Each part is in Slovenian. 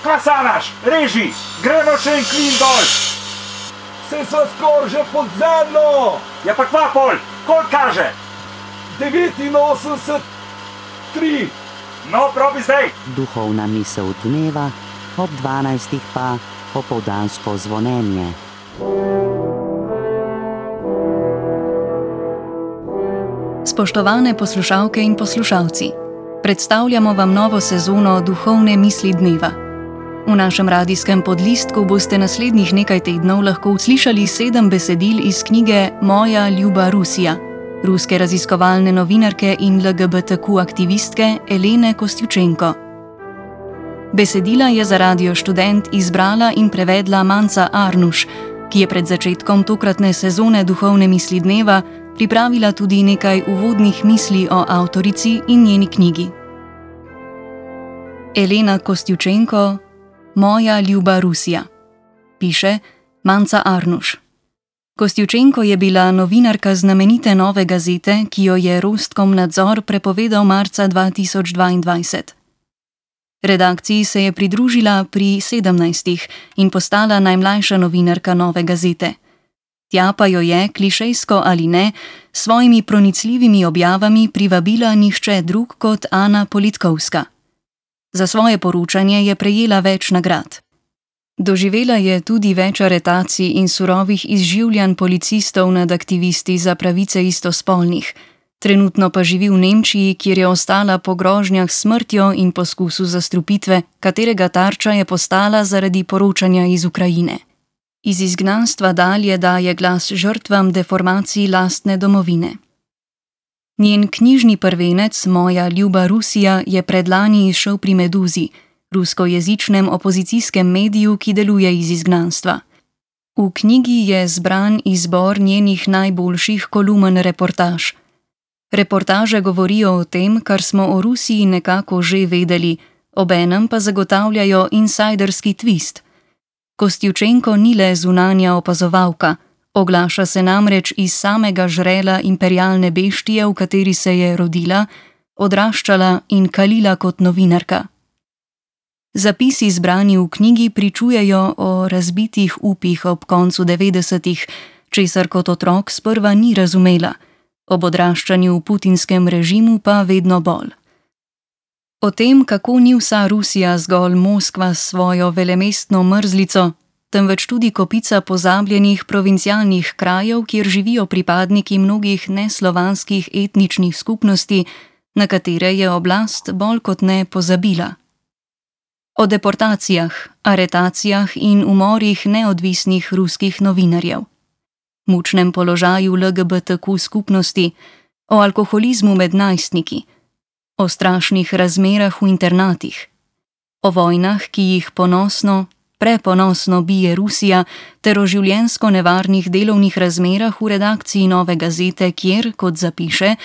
Kva sanaš? Reži, gremo še en klin dol. Se sva skor že pod zemljo. Ja pa kva pol, koliko kaže? 89,3. No, probi zdaj. Duhovna misel dneva, ob 12. pa popoldansko zvonjenje. Spoštovane poslušalke in poslušalci, predstavljamo vam novo sezono Duhovne misli dneva. V našem radijskem podlistku boste naslednjih nekaj tednov lahko slišali 7 besedil iz knjige Moja ljuba Rusija, ruske raziskovalne novinarke in LGBTQ aktivistke Elene Kostjučenko. Besedila je za Radio Študent izbrala in prevedla Manca Arnuš, ki je pred začetkom tokratne sezone Duhovne misli dneva pripravila tudi nekaj uvodnih misli o avtorici in njeni knjigi. Elena Kostjučenko, Moja ljuba Rusija. Piše Manca Arnuš. Kostjučenko je bila novinarka znamenite Nove gazete, ki jo je Rostkomnadzor prepovedal marca 2022. Redakciji se je pridružila pri 17 in postala najmlajša novinarka Nove gazete. Tja pa jo je, klišejsko ali ne, s svojimi pronicljivimi objavami privabila nihče drug kot Ana Politkovska. Za svoje poročanje je prejela več nagrad. Doživela je tudi več aretacij in surovih izživljanj policistov nad aktivisti za pravice istospolnih. Trenutno pa živi v Nemčiji, kjer je ostala po grožnjah s smrtjo in poskusu zastrupitve, katerega tarča je postala zaradi poročanja iz Ukrajine. Iz izgnanstva dalje daje glas žrtvam deformacij lastne domovine. Njen knjižni prvenec Moja ljuba Rusija je predlani izšel pri Meduzi, ruskojezičnem opozicijskem mediju, ki deluje iz izgnanstva. V knjigi je zbran izbor njenih najboljših kolumen reportaž. Reportaže govorijo o tem, kar smo o Rusiji nekako že vedeli, obenem pa zagotavljajo insajderski twist. Kostjučenko ni le zunanja opazovalka, oglaša se namreč iz samega žrela imperialne beštije, v kateri se je rodila, odraščala in kalila kot novinarka. Zapisi zbrani v knjigi pričujejo o razbitih upih ob koncu 90-ih, česar kot otrok sprva ni razumela, ob odraščanju v putinskem režimu pa vedno bolj. O tem, kako ni vsa Rusija zgolj Moskva s svojo velemestno mrzlico, temveč tudi kopica pozabljenih provincialnih krajev, kjer živijo pripadniki mnogih neslovanskih etničnih skupnosti, na katere je oblast bolj kot ne pozabila. O deportacijah, aretacijah in umorih neodvisnih ruskih novinarjev. Mučnem položaju LGBTQ skupnosti, o alkoholizmu med najstniki, o strašnih razmerah v internatih, o vojnah, ki jih ponosno, preponosno bije Rusija, ter o življenjsko nevarnih delovnih razmerah v redakciji Nove gazete, kjer, kot zapiše,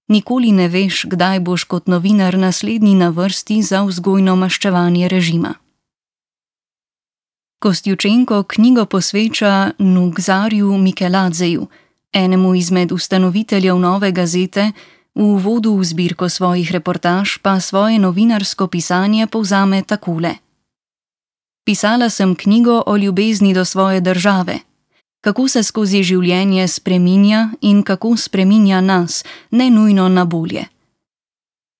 nikoli ne veš, kdaj boš kot novinar naslednji na vrsti za vzgojno maščevanje režima. Kostjučenko knjigo posveča Nugzarju Mikeladzeju, enemu izmed ustanoviteljev Nove gazete, v uvodu v zbirko svojih reportaž pa svoje novinarsko pisanje povzame takole. Pisala sem knjigo o ljubezni do svoje države, kako se skozi življenje spreminja in kako spreminja nas, ne nujno na bolje.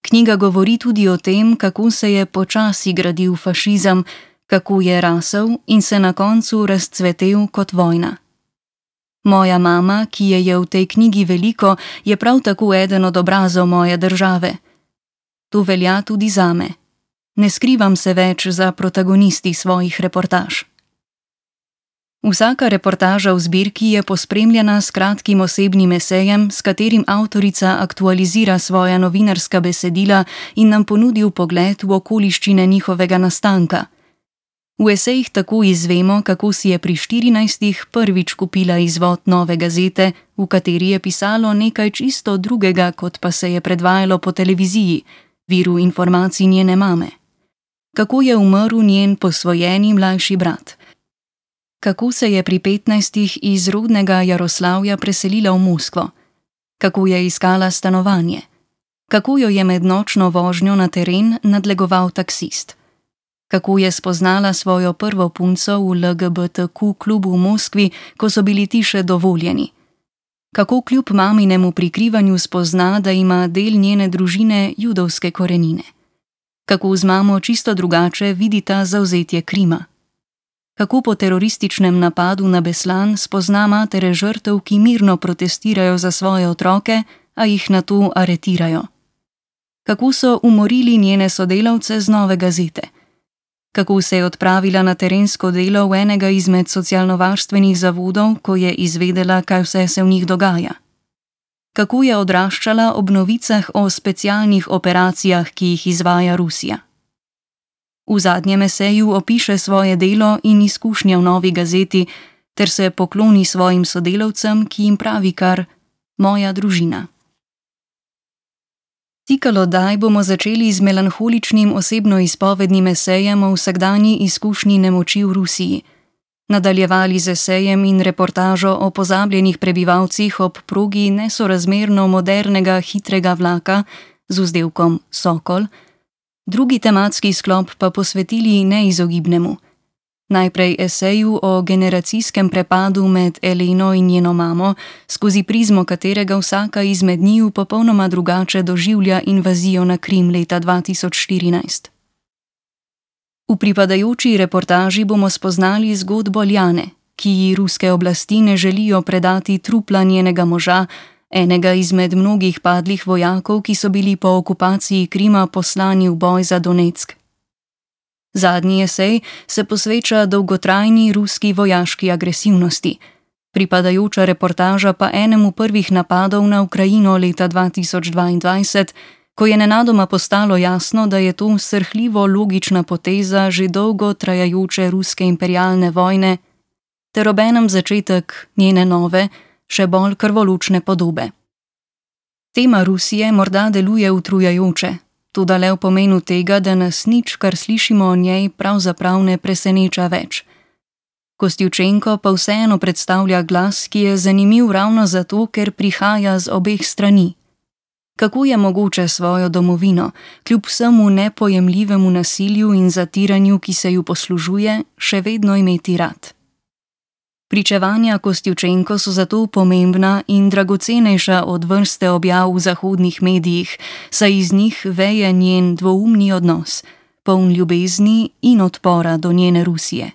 Knjiga govori tudi o tem, kako se je počasi gradil fašizem, kako je rasel in se na koncu razcvetel kot vojna. Moja mama, ki je v tej knjigi veliko, je prav tako eden od obrazov moje države. To velja tudi zame. Ne skrivam se več za protagonisti svojih reportaž. Vsaka reportaža v zbirki je pospremljena s kratkim osebnim esejem, s katerim avtorica aktualizira svoja novinarska besedila in nam ponudi vpogled v okoliščine njihovega nastanka. V esejih tako izvemo, kako si je pri 14 prvič kupila izvod Nove gazete, v kateri je pisalo nekaj čisto drugega, kot pa se je predvajalo po televiziji, viru informacij njene mame. Kako je umrl njen posvojeni mlajši brat. Kako se je pri 15 iz rodnega Jaroslavja preselila v Moskvo. Kako je iskala stanovanje. Kako jo je med nočno vožnjo na teren nadlegoval taksist. Kako je spoznala svojo prvo punco v LGBTQ klubu v Moskvi, ko so bili ti še dovoljeni. Kako kljub maminemu prikrivanju spozna, da ima del njene družine judovske korenine. Kako z mamo čisto drugače vidita zavzetje Krima. Kako po terorističnem napadu na Beslan spozna matere žrtev, ki mirno protestirajo za svoje otroke, a jih nato aretirajo. Kako so umorili njene sodelavce z Nove gazete. Kako se je odpravila na terensko delo v enega izmed socialnovarstvenih zavodov, ko je izvedela, kaj vse se v njih dogaja. Kako je odraščala ob novicah o specialnih operacijah, ki jih izvaja Rusija. V zadnjem eseju opiše svoje delo in izkušnje v Novi gazeti ter se pokloni svojim sodelavcem, ki jim pravi kar moja družina. Cikel oddaj bomo začeli z melanholičnim osebno izpovednim esejem o vsakdanji izkušnji nemoči v Rusiji, nadaljevali z esejem in reportažo o pozabljenih prebivalcih ob progi nesorazmerno modernega hitrega vlaka z vzdevkom Sokol, drugi tematski sklop pa posvetili neizogibnemu. Najprej eseju o generacijskem prepadu med Eleno in njeno mamo, skozi prizmo katerega vsaka izmed njiju popolnoma drugače doživlja invazijo na Krim leta 2014. V pripadajoči reportaži bomo spoznali zgodbo Ljane, ki ji ruske oblasti ne želijo predati trupla njenega moža, enega izmed mnogih padlih vojakov, ki so bili po okupaciji Krima poslani v boj za Donetsk. Zadnji esej se posveča dolgotrajni ruski vojaški agresivnosti, pripadajoča reportaža pa enemu prvih napadov na Ukrajino leta 2022, ko je nenadoma postalo jasno, da je to srhljivo logična poteza že dolgo trajajoče ruske imperialne vojne ter obenem začetek njene nove, še bolj krvolučne podobe. Tema Rusije morda deluje utrujajoče, toda le v pomenu tega, da nas nič, kar slišimo o njej, pravzaprav ne preseneča več. Kostjučenko pa vseeno predstavlja glas, ki je zanimiv ravno zato, ker prihaja z obeh strani. Kako je mogoče svojo domovino, kljub vsemu nepojemljivemu nasilju in zatiranju, ki se ju poslužuje, še vedno imeti rad? Pričevanja Kostjučenko so zato pomembna in dragocenejša od vrste objav v zahodnih medijih, saj iz njih veje njen dvoumni odnos, poln ljubezni in odpora do njene Rusije.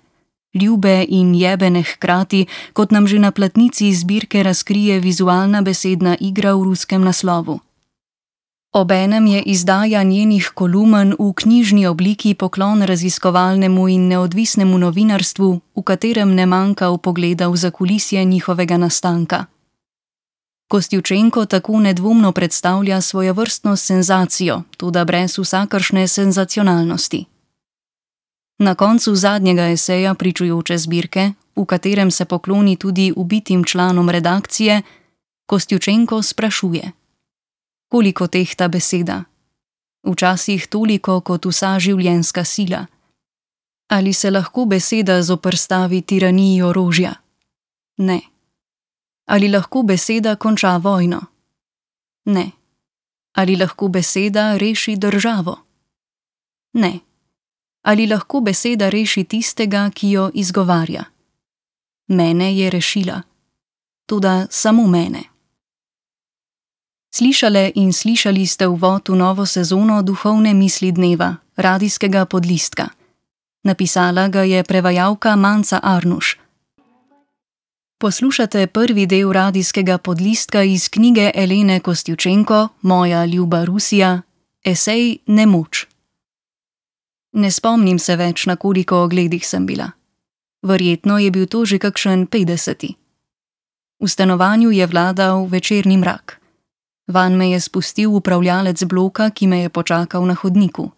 Ljube in jebene hkrati, kot nam že na platnici zbirke razkrije vizualna besedna igra v ruskem naslovu. Obenem je izdaja njenih kolumen v knjižni obliki poklon raziskovalnemu in neodvisnemu novinarstvu, v katerem ne manjka vpogleda v zakulisje njihovega nastanka. Kostjučenko tako nedvomno predstavlja svojevrstno senzacijo, toda brez vsakršne senzacionalnosti. Na koncu zadnjega eseja pričujoče zbirke, v katerem se pokloni tudi ubitim članom redakcije, Kostjučenko sprašuje: koliko tehta beseda? Včasih toliko kot vsa življenjska sila. Ali se lahko beseda zoperstavi tiraniji orožja? Ne. Ali lahko beseda konča vojno? Ne. Ali lahko beseda reši državo? Ne. Ali lahko beseda reši tistega, ki jo izgovarja? Mene je rešila. Toda samo mene. Slišale in slišali ste uvod v novo sezono Duhovne misli dneva, radijskega podlistka. Napisala ga je prevajalka Manca Arnuš. Poslušate prvi del radijskega podlistka iz knjige Elene Kostjučenko, Moja ljuba Rusija, esej Nemoč. Ne spomnim se več, na koliko ogledih sem bila. Verjetno je bil to že kakšen 50. V stanovanju je vladal večerni mrak. Vanj me je spustil upravljalec bloka, ki me je počakal na hodniku.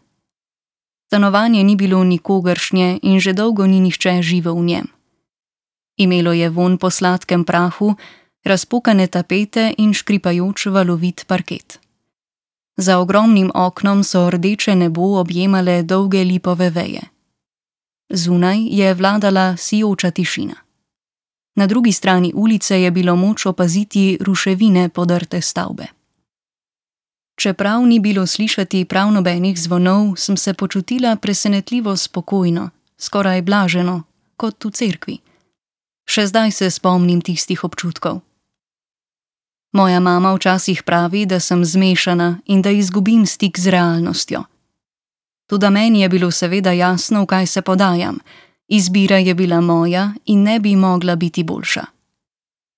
Stanovanje ni bilo nikogaršnje in že dolgo ni nihče živel v njem. Imelo je vonj po sladkem prahu, razpokane tapete in škripajoč valovit parket. Za ogromnim oknom so rdeče nebo objemale dolge lipove veje. Zunaj je vladala sijoča tišina. Na drugi strani ulice je bilo moč opaziti ruševine podrte stavbe. Čeprav ni bilo slišati prav nobenih zvonov, sem se počutila presenetljivo spokojno, skoraj blaženo, kot v cerkvi. Še zdaj se spomnim tistih občutkov. Moja mama včasih pravi, da sem zmešana in da izgubim stik z realnostjo. Toda meni je bilo seveda jasno, v kaj se podajam. Izbira je bila moja in ne bi mogla biti boljša.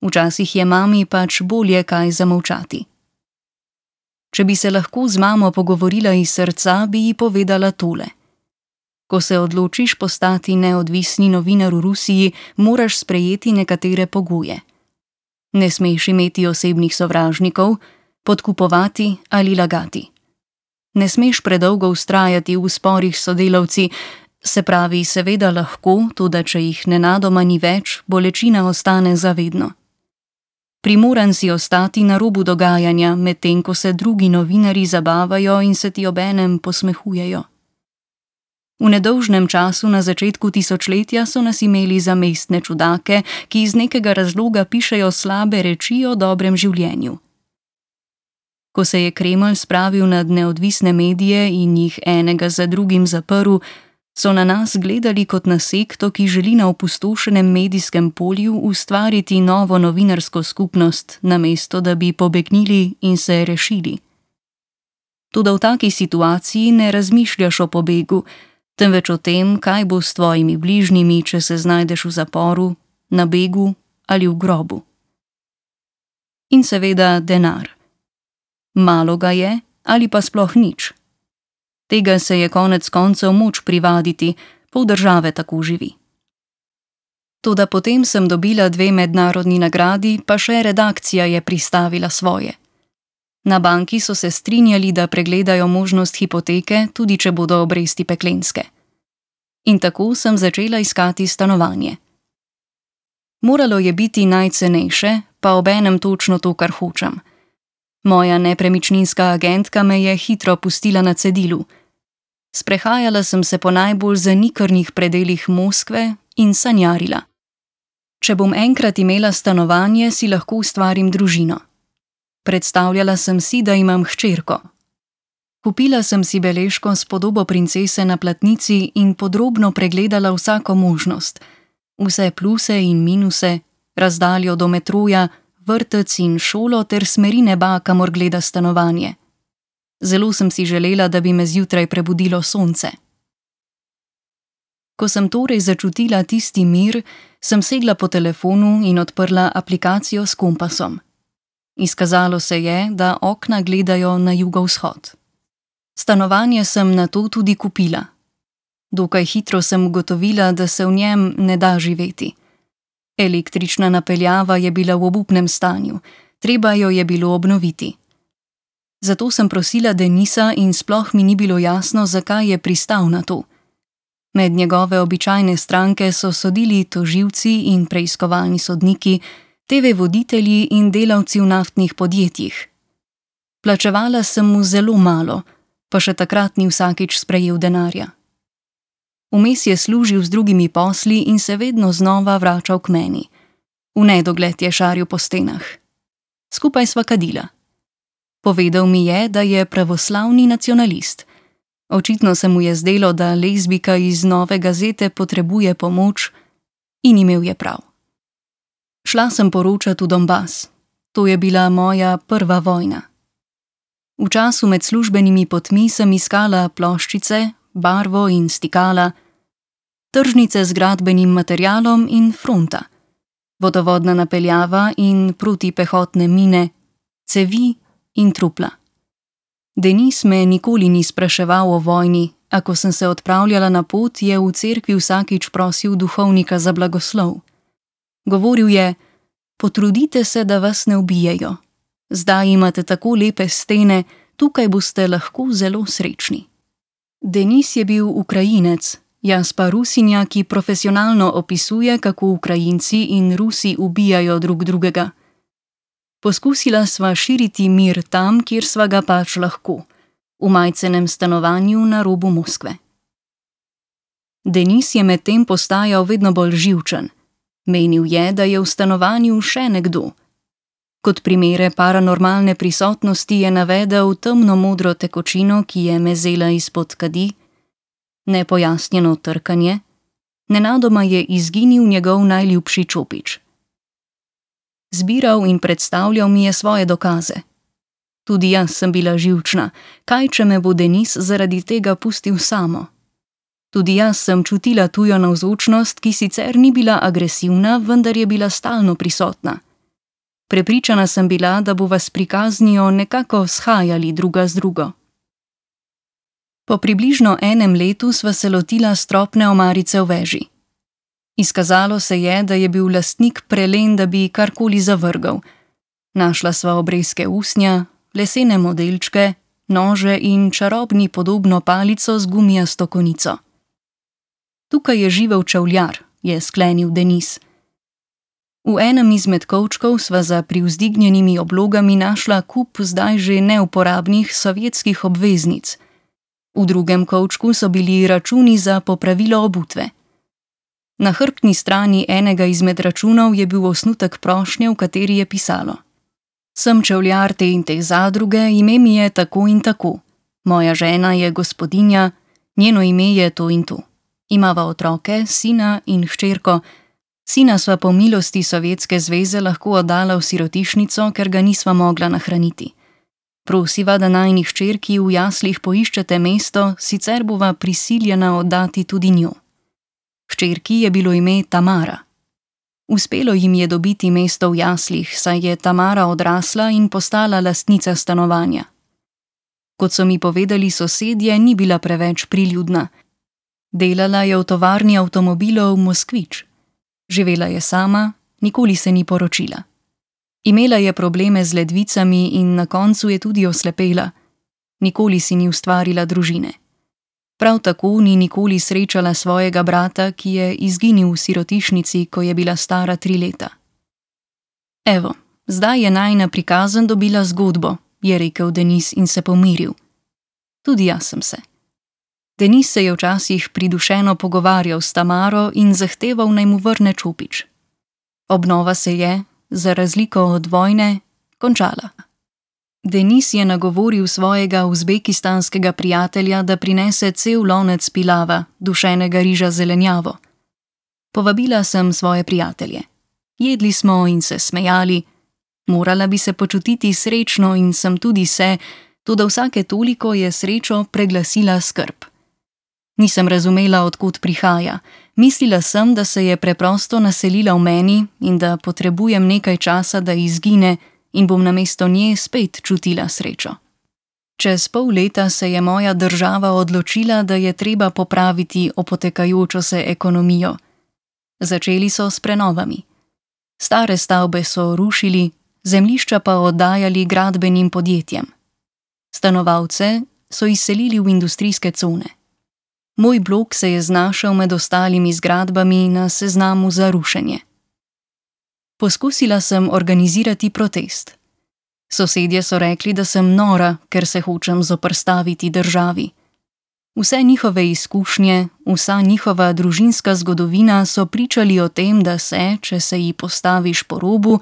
Včasih je mami pač bolje kaj zamolčati. Če bi se lahko z mamo pogovorila iz srca, bi ji povedala tole. Ko se odločiš postati neodvisni novinar v Rusiji, moraš sprejeti nekatere pogoje. Ne smeš imeti osebnih sovražnikov, podkupovati ali lagati. Ne smeš predolgo vztrajati v sporih s sodelavci, se pravi, seveda lahko, toda če jih nenadoma ni več, bolečina ostane zavedno. Primoran si ostati na robu dogajanja, medtem ko se drugi novinarji zabavajo in se ti obenem posmehujejo. V nedolžnem času na začetku tisočletja so nas imeli za mestne čudake, ki iz nekega razloga pišejo slabe reči o dobrem življenju. Ko se je Kremelj spravil nad neodvisne medije in jih enega za drugim zaprl, so na nas gledali kot na sekto, ki želi na opustošenem medijskem polju ustvariti novo novinarsko skupnost, namesto da bi pobegnili in se rešili. Toda v taki situaciji ne razmišljaš o pobegu, temveč o tem, kaj bo s tvojimi bližnjimi, če se znajdeš v zaporu, na begu ali v grobu. In seveda denar. Malo ga je ali pa sploh nič. Tega se je konec koncev moč privaditi, pol države tako živi. Toda potem sem dobila 2 mednarodni nagradi, pa še redakcija je pristavila svoje. Na banki so se strinjali, da pregledajo možnost hipoteke, tudi če bodo obresti peklenske. In tako sem začela iskati stanovanje. Moralo je biti najcenejše, pa obenem točno to, kar hočem. Moja nepremičninska agentka me je hitro pustila na cedilu. Sprehajala sem se po najbolj zanikrnih predelih Moskve in sanjarila. Če bom enkrat imela stanovanje, si lahko ustvarim družino. Predstavljala sem si, da imam hčerko. Kupila sem si beležko s podobo princese na platnici in podrobno pregledala vsako možnost. Vse pluse in minuse, razdaljo do metroja, vrtec in šolo ter smeri neba, kamor gleda stanovanje. Zelo sem si želela, da bi me zjutraj prebudilo sonce. Ko sem torej začutila tisti mir, sem segla po telefonu in odprla aplikacijo s kompasom. Izkazalo se je, da okna gledajo na jugovzhod. Stanovanje sem nato tudi kupila. Dokaj hitro sem ugotovila, da se v njem ne da živeti. Električna napeljava je bila v obupnem stanju, treba jo je bilo obnoviti. Zato sem prosila Denisa in sploh mi ni bilo jasno, zakaj je pristal na to. Med njegove običajne stranke so sodili tožilci in preiskovalni sodniki, TV voditelji in delavci v naftnih podjetjih. Plačevala sem mu zelo malo, pa še takrat ni vsakič sprejel denarja. Vmes je služil z drugimi posli in se vedno znova vračal k meni. V nedogled je šaril po stenah. Skupaj sva kadila. Povedal mi je, da je pravoslavni nacionalist. Očitno se mu je zdelo, da lezbika iz Nove gazete potrebuje pomoč, in imel je prav. Šla sem poročat v Donbas. To je bila moja prva vojna. V času med službenimi potmi sem iskala ploščice, barvo in stikala, tržnice z gradbenim materialom in fronta, vodovodna napeljava in protipehotne mine, cevi in trupla. Denis me nikoli ni spraševal o vojni, a ko sem se odpravljala na pot, je v cerkvi vsakič prosil duhovnika za blagoslov. Govoril je: potrudite se, da vas ne ubijejo. Zdaj imate tako lepe stene, tukaj boste lahko zelo srečni. Denis je bil Ukrajinec, jaz pa Rusinja, ki profesionalno opisuje, kako Ukrajinci in Rusi ubijajo drug drugega. Poskusila sva širiti mir tam, kjer sva ga pač lahko, v majcenem stanovanju na robu Moskve. Denis je medtem postajal vedno bolj živčen. Menil je, da je v stanovanju še nekdo. Kot primere paranormalne prisotnosti je navedel temno modro tekočino, ki je mezela izpod kadi, nepojasnjeno trkanje, nenadoma je izginil njegov najljubši čopič. Zbiral in predstavljal mi je svoje dokaze. Tudi jaz sem bila živčna, kaj če me bo Denis zaradi tega pustil samo. Tudi jaz sem čutila tujo navzočnost, ki sicer ni bila agresivna, vendar je bila stalno prisotna. Prepričana sem bila, da bova s prikaznijo nekako shajali druga z drugo. Po približno 1 letu sva se lotila stropne omarice v veži. Izkazalo se je, da je bil lastnik prelen, da bi karkoli zavrgal. Našla sva obrezke usnja, lesene modelčke, nože in čarobni podobno palico z gumijasto konico. Tukaj je živel čevljar, je sklenil Denis. V enem izmed kovčkov sva za privzdignjenimi oblogami našla kup zdaj že neuporabnih sovjetskih obveznic. V drugem kovčku so bili računi za popravilo obutve. Na hrbtni strani enega izmed računov je bil osnutek prošnje, v kateri je pisalo: Sem čevljar te in te zadruge, ime mi je tako in tako. Moja žena je gospodinja, njeno ime je to in to. Imava otroke, sina in hčerko. Sina sva po milosti Sovjetske zveze lahko oddala v sirotišnico, ker ga nisva mogla nahraniti. Prosiva, da najini hčerki v jaslih poiščete mesto, sicer bova prisiljena oddati tudi njo. Hčerki je bilo ime Tamara. Uspelo jim je dobiti mesto v jaslih, saj je Tamara odrasla in postala lastnica stanovanja. Kot so mi povedali sosedje, ni bila preveč priljudna. Delala je v tovarni avtomobilov Moskvič. Živela je sama, nikoli se ni poročila. Imela je probleme z ledvicami in na koncu je tudi oslepela. Nikoli si ni ustvarila družine. Prav tako ni nikoli srečala svojega brata, ki je izginil v sirotišnici, ko je bila stara 3 leta. Evo, zdaj je najina prikazen dobila zgodbo, je rekel Denis in se pomiril. Tudi jaz sem se. Denis se je včasih pridušeno pogovarjal s Tamaro in zahteval, naj mu vrne čopič. Obnova se je, za razliko od vojne, končala. Denis je nagovoril svojega uzbekistanskega prijatelja, da prinese cel lonec pilava, dušenega riža zelenjavo. Povabila sem svoje prijatelje. Jedli smo in se smejali. Morala bi se počutiti srečno in sem tudi se, toda vsake toliko je srečo preglasila skrb. Nisem razumela, odkot prihaja. Mislila sem, da se je preprosto naselila v meni in da potrebujem nekaj časa, da izgine in bom namesto nje spet čutila srečo. Čez pol leta se je moja država odločila, da je treba popraviti opotekajočo se ekonomijo. Začeli so s prenovami. Stare stavbe so rušili, zemljišča pa oddajali gradbenim podjetjem. Stanovalce so izselili v industrijske cone. Moj blok se je znašel med ostalimi zgradbami na seznamu za rušenje. Poskusila sem organizirati protest. Sosedje so rekli, da sem nora, ker se hočem zoperstaviti državi. Vse njihove izkušnje, vsa njihova družinska zgodovina so pričali o tem, da se, če se ji postaviš po robu,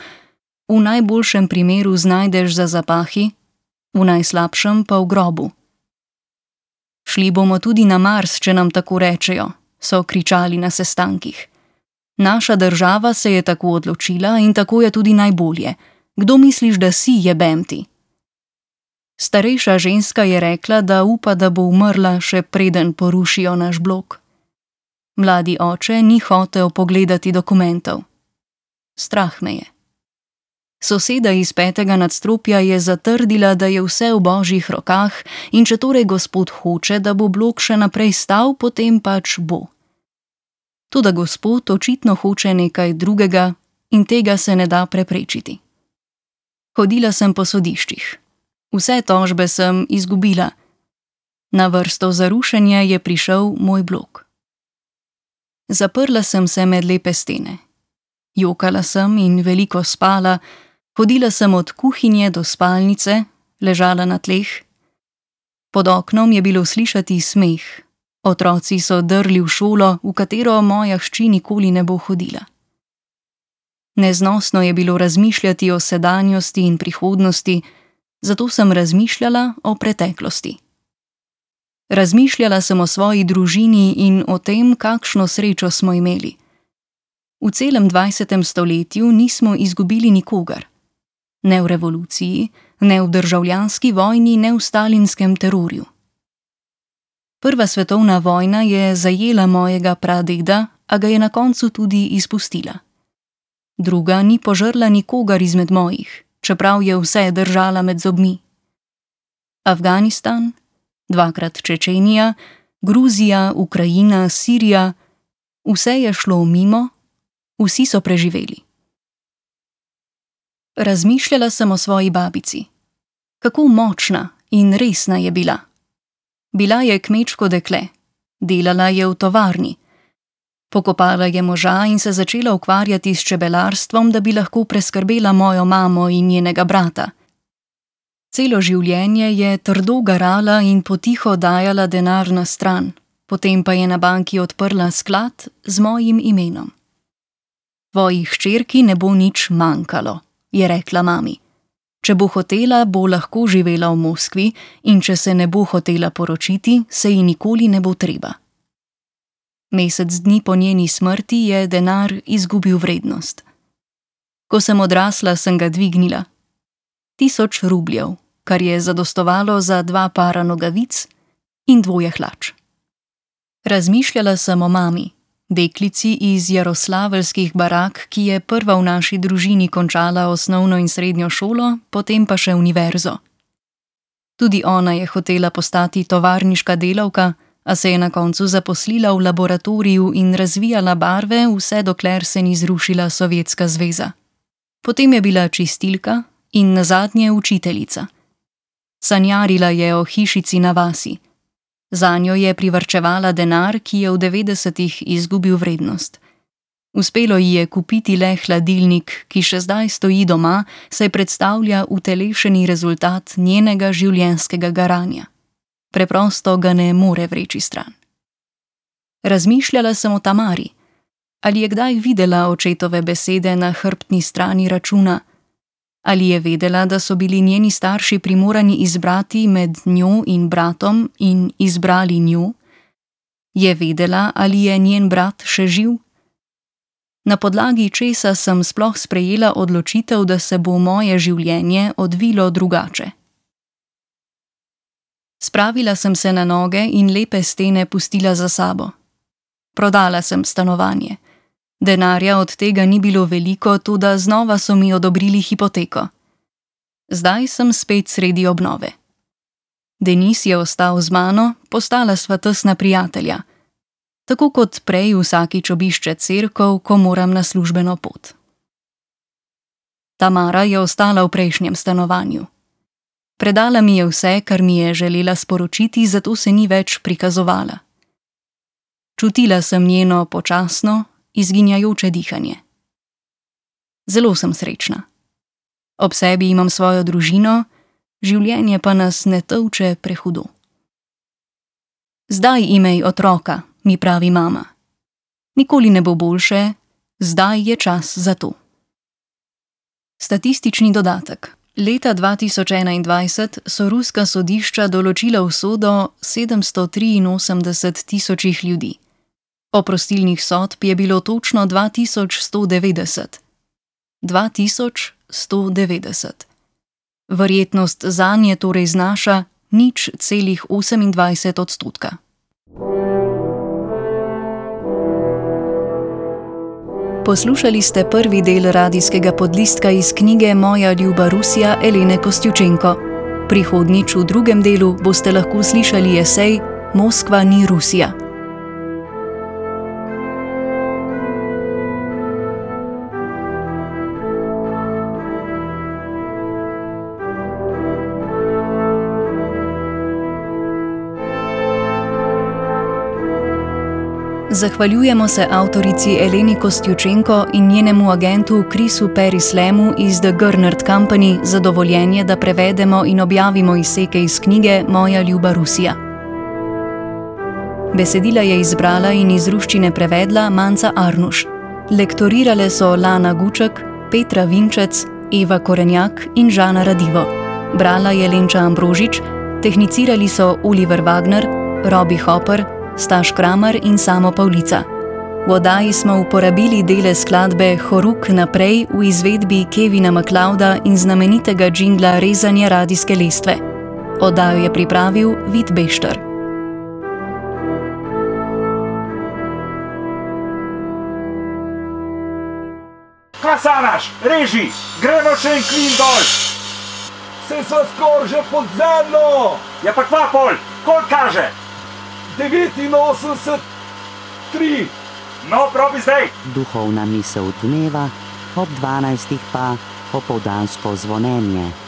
v najboljšem primeru znajdeš za zapahi, v najslabšem pa v grobu. Šli bomo tudi na Mars, če nam tako rečejo, so kričali na sestankih. Naša država se je tako odločila in tako je tudi najbolje. Kdo misliš, da si, jebem ti? Starejša ženska je rekla, da upa, da bo umrla, še preden porušijo naš blok. Mladi oče ni hotel pogledati dokumentov. Strah me je. Soseda iz 5. nadstropja je zatrdila, da je vse v božjih rokah in če torej Gospod hoče, da bo blok še naprej stal, potem pač bo. Toda Gospod očitno hoče nekaj drugega in tega se ne da preprečiti. Hodila sem po sodiščih. Vse tožbe sem izgubila. Na vrsto za rušenje je prišel moj blok. Zaprla sem se med lepe stene. Jokala sem in veliko spala, hodila sem od kuhinje do spalnice, ležala na tleh. Pod oknom je bilo slišati smeh. Otroci so drli v šolo, v katero moja hči nikoli ne bo hodila. Neznosno je bilo razmišljati o sedanjosti in prihodnosti, zato sem razmišljala o preteklosti. Razmišljala sem o svoji družini in o tem, kakšno srečo smo imeli. V celem 20. stoletju nismo izgubili nikogar. Ne v revoluciji, ne v državljanski vojni, ne v stalinskem terorju. Prva svetovna vojna je zajela mojega pradeda, a ga je na koncu tudi izpustila. Druga ni požrla nikogar izmed mojih, čeprav je vse držala med zobmi. Afganistan, dvakrat Čečenija, Gruzija, Ukrajina, Sirija, vse je šlo mimo, vsi so preživeli. Razmišljala sem o svoji babici. Kako močna in resna je bila. Bila je kmečko dekle, delala je v tovarni. Pokopala je moža in se začela ukvarjati s čebelarstvom, da bi lahko preskrbela mojo mamo in njenega brata. Celo življenje je trdo garala in potiho dajala denar na stran, potem pa je na banki odprla sklad z mojim imenom. Tvoji hčerki ne bo nič manjkalo, je rekla mami. Če bo hotela, bo lahko živela v Moskvi in če se ne bo hotela poročiti, se ji nikoli ne bo treba. Mesec dni po njeni smrti je denar izgubil vrednost. Ko sem odrasla, sem ga dvignila. 1000 rubljev, kar je zadostovalo za 2 para nogavic in 2 hlač. Razmišljala sem o mami, deklici iz jaroslavlskih barak, ki je prva v naši družini končala osnovno in srednjo šolo, potem pa še univerzo. Tudi ona je hotela postati tovarniška delavka, a se je na koncu zaposlila v laboratoriju in razvijala barve, vse dokler se ni zrušila Sovjetska zveza. Potem je bila čistilka in nazadnje učiteljica. Sanjarila je o hišici na vasi. Zanjo je privarčevala denar, ki je v 90-ih izgubil vrednost. Uspelo ji je kupiti le hladilnik, ki še zdaj stoji doma, saj predstavlja utelešeni rezultat njenega življenjskega garanja. Preprosto ga ne more vreči stran. Razmišljala sem o Tamari. Ali je kdaj videla očetove besede na hrbtni strani računa? Ali je vedela, da so bili njeni starši primorani izbrati med njo in bratom in izbrali njo? Je vedela, ali je njen brat še živ? Na podlagi česa sem sploh sprejela odločitev, da se bo moje življenje odvilo drugače? Spravila sem se na noge in lepe stene pustila za sabo. Prodala sem stanovanje. Denarja od tega ni bilo veliko, toda znova so mi odobrili hipoteko. Zdaj sem spet sredi obnove. Denis je ostal z mano, postala sva tesna prijatelja. Tako kot prej vsakič obišče cerkev, ko moram na službeno pot. Tamara je ostala v prejšnjem stanovanju. Predala mi je vse, kar mi je želela sporočiti, zato se ni več prikazovala. Čutila sem njeno počasno, izginjajoče dihanje. Zelo sem srečna. Ob sebi imam svojo družino, življenje pa nas ne tolče prehudo. Zdaj imej otroka, mi pravi mama. Nikoli ne bo boljše, zdaj je čas za to. Statistični dodatek. Leta 2021 so ruska sodišča določila usodo 783 tisočih ljudi. Oprostilnih sodb je bilo točno 2190. 2190. Verjetnost zanje torej znaša 0,28%. Poslušali ste prvi del radijskega podlistka iz knjige Moja ljuba Rusija Elene Kostjučenko. Prihodnjič v drugem delu boste lahko slišali esej Moskva ni Rusija. Zahvaljujemo se avtorici Eleni Kostjučenko in njenemu agentu Chrisu Perislemu iz The Gernert Company za dovoljenje, da prevedemo in objavimo izseke iz knjige Moja ljuba Rusija. Besedila je izbrala in iz ruščine prevedla Manca Arnuš. Lektorirale so Lana Guček, Petra Vinčec, Eva Korenjak in Žana Radivo. Brala je Lenča Ambrožič, tehnicirali so Oliver Wagner, Robi Hopper, Staš Kramer in Samo Pavlica. V oddaji smo uporabili dele skladbe Horuk naprej v izvedbi Kevina MacLeoda in znamenitega džingla rezanja radijske lestve. Oddajo je pripravil Vid Bešter. Kaj sanaš? Reži! Gremo še en klin dol! Saj sva skoraj že pod zemljo! Ja pa kva pol? Koliko kaže? 89,3. No, probi zdaj! Duhovna misel dneva, ob 12. pa opoldansko zvonjenje.